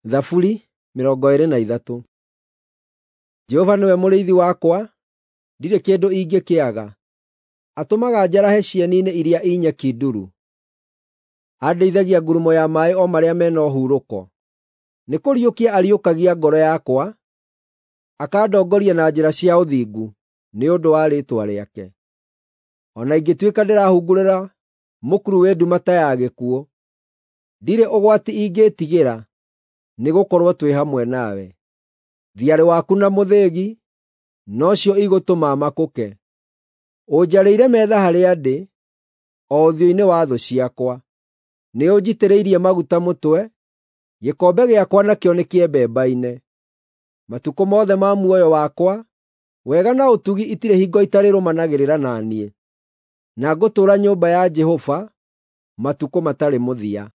Thaburi 23. Jehova nĩwe mũrĩithi wakwa, ndirĩ kĩndũ ingĩkĩaga. Atũmaga njarahe cieni-inĩ iria i nyeki nduru. Andĩithagia ngurumo ya maaĩ o marĩa me na ũhurũko. Nĩkũriũkia ariũkagia ngoro yakwa, akandongoria na njĩra cia ũthingu nĩ ũndũ wa rĩĩtwa rĩake. O na ingĩtuĩka ndĩrahungurĩra mũkuru wĩ nduma ta ya gĩkuũ, ndirĩ ũgwati ingĩĩtigĩra, nĩgũkorwo twĩ hamwe nawe. Thiarĩ waku na mũthĩgi nocio igũtũma makũke. Ũnjarĩire metha harĩa ndĩ, o ũthiũ-inĩ wa thũ ciakwa. Nĩũnjitĩrĩirie maguta mũtwe, gĩkombe gĩakwa nakĩo nĩkĩembembaine. Matukũ mothe ma muoyo wakwa, wega na ũtugi itirĩ hingo itarĩrũmanagĩrĩra na niĩ, na ngũtũũra nyũmba ya Jehova matukũ matarĩ mũthia.